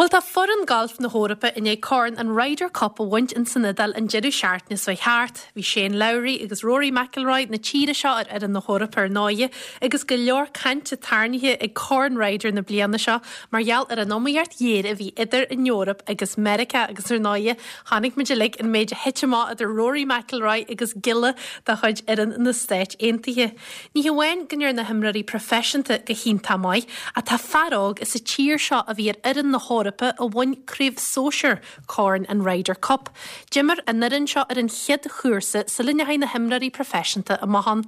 Bhuel tá foireann gailf na hEorpa i ndiaidh corn an Ryder Cup a bhaint in san Iodáil an deireadh seachtaine seo thart. Bhí Shane Lowry agus Rory McIlroy na tíre seo ar fhoireann na hEorpa ar ndóighe agus go leor cainte tarraingthe ag Corn Ryder na bliana seo mar gheall ar an iomaíocht ghéar a bhí idir an Eoraip agus Meiriceá agus ar ndóighe chonaic muid uilig an méid a thit amach idir Rory McIlroy agus giolla de chuid fhoireann na Stáit Aontaithe. Ní hamháin go ndearna na himreoirí proifisiúnta go hiontach maith, ach tá fear óg as an tír seo a bhí ar fhoireann na hEorpa a bhain craobh sóisir Corn an Ryder Cup. D'imir an fhoireann seo ar an chéad chúrsa sula ndeachaigh na himreoirí proifisiúnta amach ann.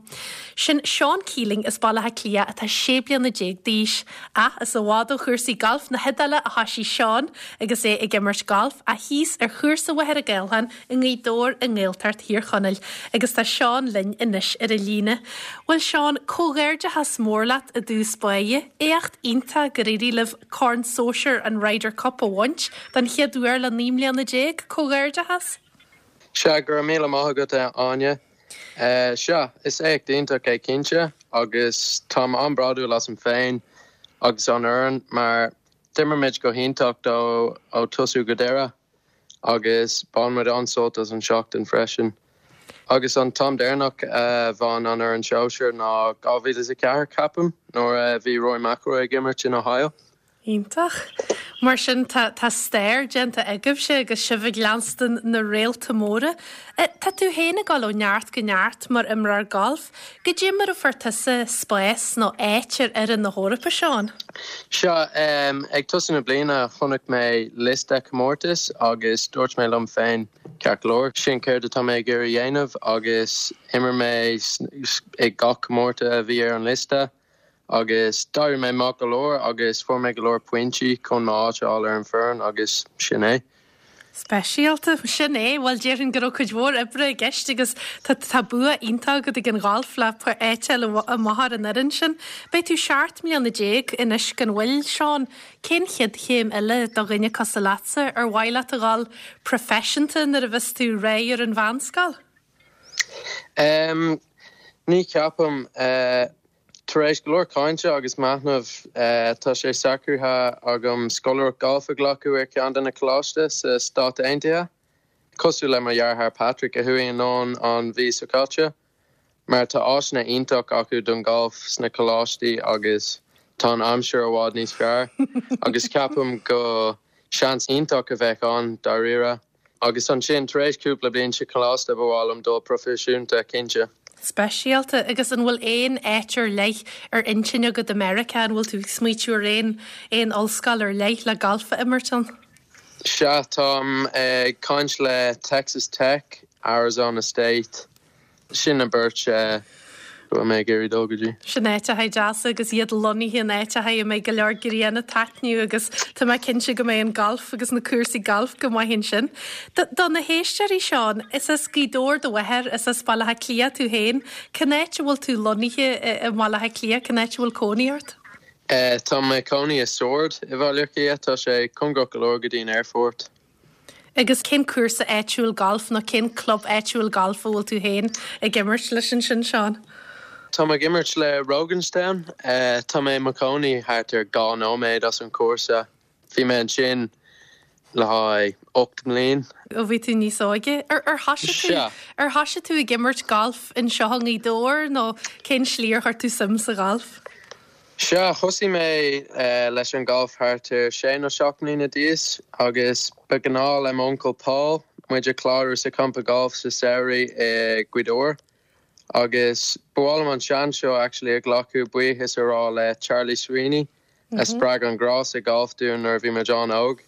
Sin Seán Keeling as Baile Átha Cliath atá 16 bliana d'aois. Ach is i bhfad ó chúrsaí gailf na hIodáile a thoisigh Seán agus é ag imirt gailf, ach thíos ar chúrsa Mhachaire Gathlán i nGaoth Dobhair i nGaeltacht Thír Chonaill agus tá Seán linn anois ar an líne. Bhuel Seán, comhghairdeachas mór leat i dtús báire. Éacht iontach gur éirigh libh Corn Sóisir an Ryder Cup a bhaint don chéad uair le 19 mbliana. Comhghairdeachas! Sea, go raibh míle maith agat a Áine. Sea, is éacht iontach é cinnte agus táim an-bhródúil asam féin agus an fhoireann mar d'imir muid go hiontach ó tosú go deireadh. agus bhain muid an-sult as an seachtain freisin. Agus an t-am deireanach a bhain an fhoireann sóisir ná 2004, ceapaim, nuair a bhí Rory McIlroy ag imirt in Ohio. Iontach. Mar sin tá tá stair déanta agaibhse agus sibh ag leanstan na réalta móra. Tá tú féin ag dul ó neart go neart mar imreoir gailf. Goidé mar a fuair tusa spás nó áit ar fhoireann na hEorpa, Seán? Sea, ag tosú na bliana chonaic mé liosta comórtas agus dúirt mé liom féin, ceart go leor, sin céard atá mé ag iarraidh a dhéanamh agus imir mé i gach comórtas a bhí ar an liosta agus d'éirigh mé maith go leor agus fuair mé go leor pointí chun m'áit a fháil ar an foireann agus sin é. Speisialta. Sin é. Bhuel, déarfainn go raibh cuid mhór oibre i gceist agus tá tá bua iontach agat ag an ghalf le áit a fháil amach ar an fhoireann sin. Beidh tú 17 mbliana anois gan mhoill, Seán. Cén chéad chéim eile do dhuine cosúil leatsa? Ar mhaith leat a dhul proifisiúnta nuair a bheas tú réidh ar an mheánscoil? Em, ní cheapaim. Eh. Tar éis go leor cainte agus machnaimh, tá sé socraithe agam scoláireacht gailf a ghlacadh ar cheann de na coláiste sa Stát Aontaithe, cosúil le mo dheartháir Patrick a chuaigh anonn an mhí seo caite, mar tá áiseanna iontach acu don ghalf sna coláistí agus tá an aimsir i bhfad níos fearr agus ceapaim go seans iontach a bheadh ann dáiríre. Agus ansin, tar éis cúpla bliain sa choláiste, ba mhaith liom dul proifisiúnta, cinnte. Speisialta. Agus an bhfuil aon áit ar leith ar intinn agat i Meiriceá? An bhfuil tú ag smaoitiú ar aon aon ollscoil ar leith le galf a imirt ann? Sea, táim ag caint le Texas Tech, Arizona State, Sin na beirt a bhfuil mé ag iarraidh dul go dtí. Sin áiteacha deasa agus iad lonnaithe in áiteacha a mbeidh go leor grian ag taitneamh agus tá mé cinnte go mbeidh an galf agus na cúrsaí gailf go maith ansin. Do na héisteoirí, Seán, is as Gaoth Dobhair do mháthair, is as Baile Átha Cliath tú féin. Cén áit a bhfuil tú lonnaithe i mBaile Átha Cliath, cén áit a bhfuil cónaí ort? Tá mé i mo chónaí i Sord i Bhaile Átha Cliath, tá sé cóngarach go leor go dtí an aerfort. Agus cén cúrsa áitiúil gailf nó cén club áitiúil gailf a bhfuil tú féin ag imirt leis ansin, Seán? Tá mé ag imirt le Roganstown. Tá mé i mo chónaí thart ar 2 nóiméad as an chúrsa. Bhí mé ansin le haghaidh 8 mbliain. Ó bhí tú níos óige. Ar ar thoisigh tú Sea. ar thoisigh tú ag imirt gailf anseo i nGaoth Dobhair nó cén slí ar chuir tú suim sa ghalf? Sea, thosaigh mé leis an ghalf thart ar sé nó seacht mbliana d'aois agus ba ghnáth le m'uncail Paul muid a chlárú sa champa galf sa samhradh i Gaoth Dobhair agus ba mhaith liom an seans seo actually a ghlacadh buíochas a rá le Charlie Sweeney a spreag an grá sa ghalf dúinn nuair a bhí muid an-óg.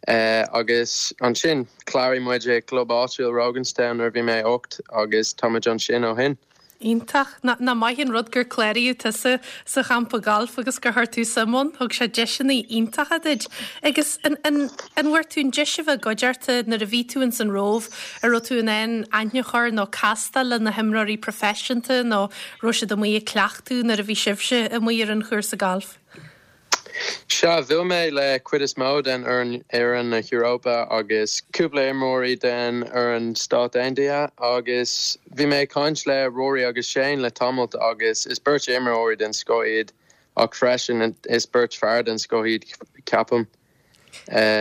Agus ansin, chláraigh muid i gclub áitiúil Roganstown nuair a bhí mé 8 agus tá muid ansin ó shin. Iontach. Nach maith an rud gur cláraíodh tusa sa champa gailf agus gur chuir tú suim ann. Thug sé deiseanna iontacha duit. Agus an an an bhfuair tú an deis a bheith i gcuideachta nuair a bhí tú ins an Róimh, an raibh tú in ann aithne a chur nó castáil le na himreoirí proifisiúnta nó raibh siad amuigh ag cleachtadh nuair a bhí sibhse amuigh ar an chúrsa gailf? Sea, bhuail mé le cuid is mó den fhoireann na hEorpa agus cúpla imreoirí den fhoireann Stát Aontaithe agus bhí mé ag caint le Rory agus Shane le tamalt agus is beirt imreoirí den scoth iad ach freisin is beirt fear den scoth iad, ceapaim.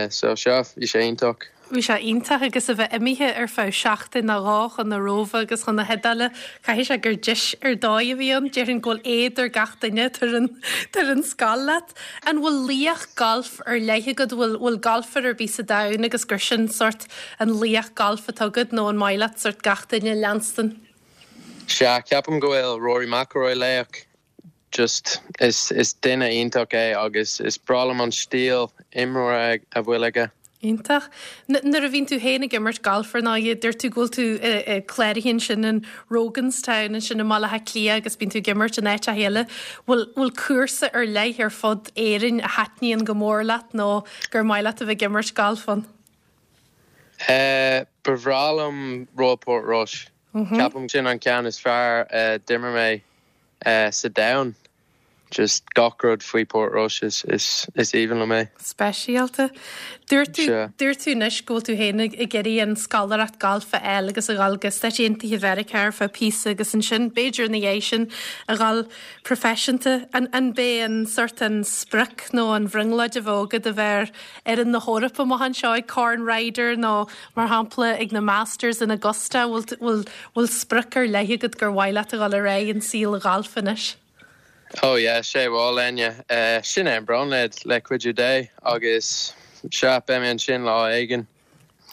So sea, bhí sé iontach. Bhí sé iontach agus a bheith imithe ar feadh seachtain nó dhó chun na Róimhe agus chun na hIodáile, caithfidh sé gur deis ar dóigh a bhí ann. Déarfainn go bhfuil éad ar gach duine atá ar an scoil leat. An bhfuil laoch gailf ar leith agat? Bhfuil bhfuil galfaire ar bith sa domhan agus gur sin sórt an laoch gailf atá agat nó an maith leat sórt gach duine a leanstan? Sea, ceapaim go bhfuil Rory McIlroy laoch. Just, is, is duine iontach é agus is breá liom an stíl imeartha a bhfuil aige. Iontach. Nuair a bhíonn tú féin ag imirt galf ar ndóigh, dúirt tú go bhfuil tú cláraithe ansin in Roganstown ansin i mBaile Átha Cliath agus bíonn tú ag imirt in áiteacha eile. Bhfuil, bhfuil cúrsa ar leith ar fud Éirinn a thaitníonn go mór leat nó gur maith leat a bheith ag imirt galf ann? Ba bhreá liom Royal Portrush. Ceapaim sin an ceann is fearr a d'imir mé sa domhan. Just gach rud faoi Portrush is is is aoibhinn liom é. Speisialta. Dúirt tú dúirt tú anois go bhfuil tú féin ag ag iarraidh an scoláireacht gailf a fháil agus a dhul go Stáit Aontaithe Mheiriceá ar feadh píosa agus ansin b'fhéidir ina dhiaidh sin a dhul proifisiúnta. An an b'é an sort an sprioc nó an bhrionglóid a bheadh agat a bheith ar fhoireann na hEorpa amach anseo ag Corn Ryder nó mar shampla ag na Masters in Augusta? Bhfuil bhfuil Bhfuil sprioc ar leith agat gur mhaith leat a dhul ar aghaidh in saol an ghailf anois? Oh yeah, sé bhuel Enya, sin é an bhrionglóid le cuidiú Dé agus sea, beidh mé ansin lá éigin.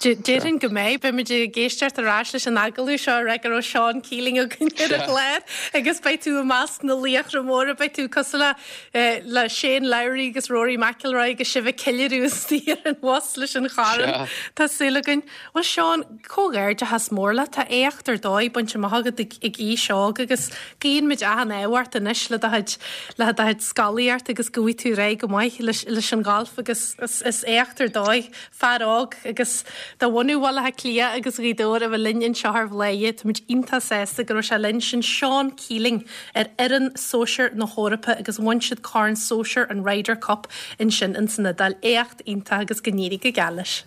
Déarfainn go mbeidh. Beimid ag éisteacht ar ais leis an agallamh seo ag rá go raibh Seán Keeling againn ar an chlár agus beidh tú i measc na laochra móra, beidh tú cosúil le le Shane Lowry agus Rory McIlroy agus sibh ag ceiliúradh istigh ar an bhus leis an chorn. Tá súil againn. Bhuel Seán, comhghairdeachas mór leat, tá éacht ar dóigh bainte amach agat ag aois óg agus guíonn muid achan ádh ort anois le do chuid, le do chuid scolaíocht agus go bhfaighidh tú ar aghaidh go maith leis, leis an ghalf agus is, is éacht ar dóigh, fear óg agus de bhunadh Bhaile Átha Cliath agus Ghaoth Dobhair a bheith linn anseo ar Bhladhaire, táimid iontach sásta go raibh sé linn, sin Seán Keeling ar fhoireann sóisir na hEorpa agus bhain siad corn sóisir an Ryder Cup ansin ins an Iodáil, éacht iontach agus go n-éirí go geal leis.